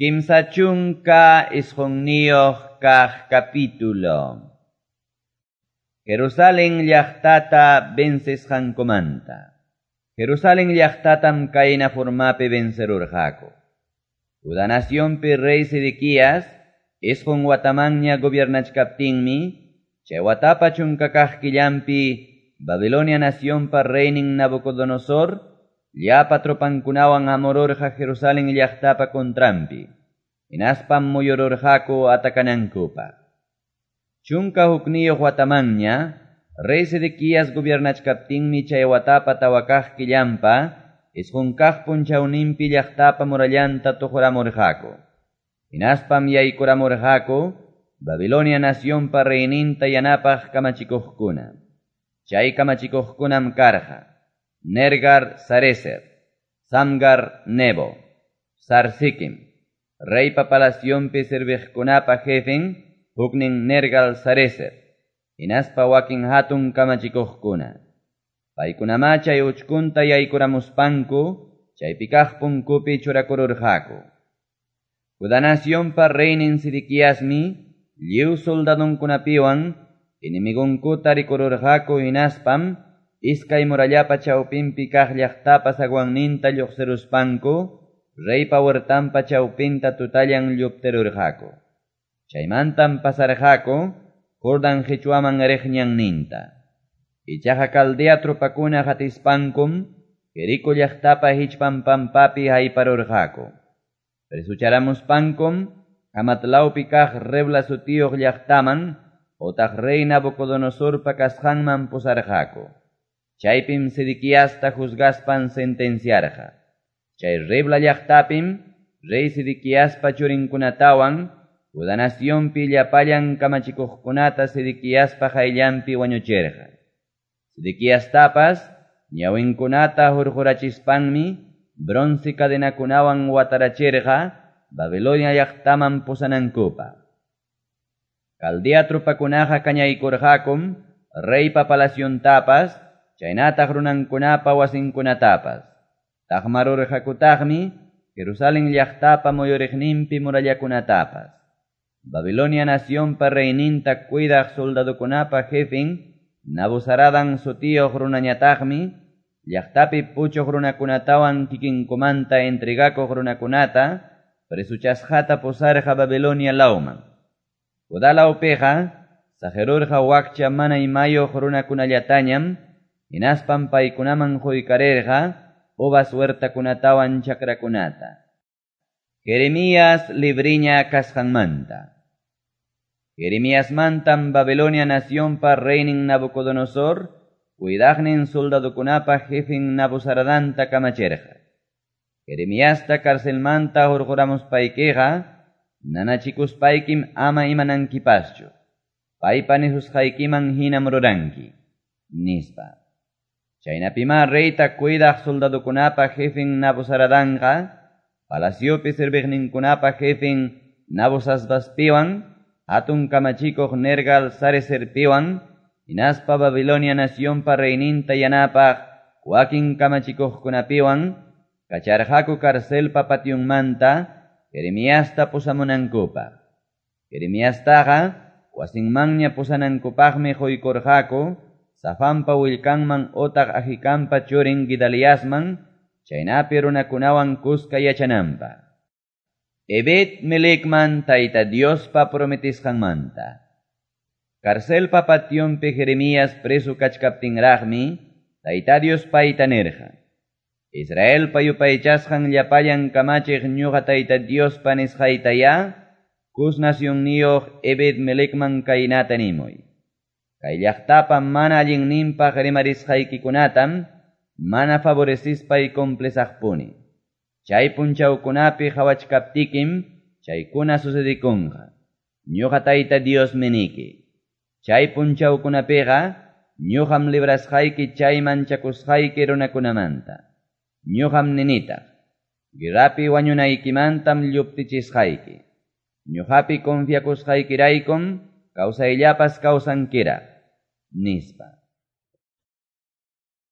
39 kaq capítulo. Jerusalén llaqtata vencesqankumanta. Jerusalén llaqtatam kayna formapi vencerurqaku. Judá nacionpi rey Sedequías isqun watamanña gobiernachkaptinmi, chay watapa chunka kaq killanpi Babilonia nacionpa reynin Nabucodonosor llapa tropankunawan hamururqa Jerusalén llaqtapa contranpi. Hinaspam muyururqaku atakanankupaq. 11 watamanña, rey Sedequías gobiernachkaptinmi chay watapa tawa kaq killanpa, 9 kaq punchawninpi llaqtapa murallanta tuquramurqaku. Hinaspam yaykuramurqaku Babilonia nacionpa reyninta yanapaq kamachikuqkuna. Chay kamachikuqkunam karqa: Nergal Sarecer, Samgar Nebo, Sarsikim, reypa palacionpi serviqkunapa jefen, huknin Nergal Sarecer, hinaspa wakin hatun kamachikuqkuna. Paykunamá chay uchkunta yaykuramuspanku, chaypi kaq punkupi churakururqaku. Judá nacionpa reynin Sedequiasmi, lliw soldadunkunapiwan, enemigonkuta rikururqaku hinaspam, iskay murallapa chawpinpi kaq llaqtapa zaguanninta lluqsiruspanku, reypa huertanpa chawpinta tutallan lluptirurqaku. Chaymantam pasarqaku Jordan qichwaman riq ñanninta. Ichaqa Caldea tropakuna qatispankum, Jericó llaqtapa hichpan pampapi hayparurqaku. Presucharamuspankum, Hamat lawpi kaq Rebla sutiyuq llaqtaman, otaq rey Nabucodonosorpa kasqanman pusarqaku. Chaypim Sedequiasta juzgaspan sentenciarqa. Chay Rebla llaqtapim, rey Sedequiaspa churinkunatawan, Judá nacionpi llapallan kamachikuqkunata Sedequiaspa qayllanpi wañuchirqa. Sedequiastapas, ñawinkunata hurqurachispanmi, bronce cadenakunawan watarachirqa, Babilonia llaqtaman pusanankupaq. Caldea tropakunaqa kañaykurqakum, reypa palaciontapas, chaynataq runankunapa wasinkunatapas. Taqmarurqakutaqmi Jerusalén llaqtapa muyuriqninpi murallakunatapas. Babilonia nacionpa reyninta cuidaq soldadokunapa jefen, Nabuzaradan sutiyuq runañataqmi, llaqtapi puchuq runakunatawan kikinkumanta entregakuq runakunata, presuchasqata pusarqa Babilonia lawman. Judá lawpiqa, saqirurqa wakcha mana imayuq runakunallatañam, hinaspam paykunaman quykarirqa uvas huertakunatawan chakrakunata. Jeremías libriña kasqanmanta. Jeremiasmantam Babilonia nacionpa reynin Nabucodonosor, cuidaqnin soldadokunapa jefen Nabuzaradanta kamachirqa. Jeremiasta carcelmanta hurquramuspaykiqa, nanachikuspaykim ama imanankipaschu. Paypa nisusqaykiman hinam ruranki, nispa. Chaynapimá reyta cuidaq soldadokunapa jefen Nabuzaradanqa, palaciopi serviqninkunapa jefen Nabuzasbaspiwan, hatun kamachikuq Nergal Sarecerpiwan, hinaspa Babilonia nacionpa reyninta yanapaq wakin kamachikuqkunapiwan, kacharqaku carcelpa pationmanta Jeremiasta pusamunankupaq. Jeremiastaqa wasinmanña pusanankupaqmi quykurqaku, Safanpa willkanman otaq Ahikampa churin Gidaliasman, chaynapi runakunawan kuska yachananpaq. Ebed Melecman Tayta Diospa prometisqanmanta. Carcelpa pationpi Jeremías preso kachkaptinraqmi, Tayta Dios payta nirqa: Israelpa yupaychasqan llapallan kamachiq ñuqa Tayta Diospa nisqaytayá, Cus nacionniyuq Ebed Melecman kaynata nimuy. Kay llaqtapa mana allinninpaq rimarisqaykikunatam mana favorecispay cumplisaqpuni. Chay punchawkunapi qhawachkaptikim chaykuna sucedikunqa. Ñuqa Tayta Diosmi niki. Chay punchawkunapiqa ñuqam librasqayki chay manchakusqayki runakunamanta. Ñuqam ninitaq, guerrapi wañunaykimantam lluptichisqayki. Ñuqapi confiakusqaykiraykum kawsayllapas kawsankiraq, nispa.